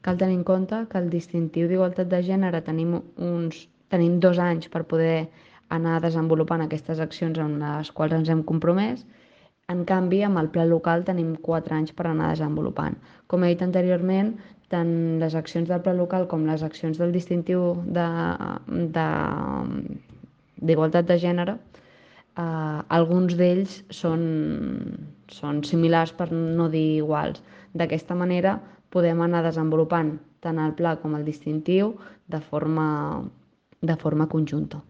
Cal tenir en compte que el distintiu d'igualtat de gènere tenim 2 anys per poder anar desenvolupant aquestes accions en les quals ens hem compromès. En canvi, amb el pla local tenim 4 anys per anar desenvolupant. Com he dit anteriorment, tant les accions del pla local com les accions del distintiu d'igualtat de gènere, alguns d'ells són similars per no dir iguals. D'aquesta manera podem anar desenvolupant tant el pla com el distintiu de forma conjunta.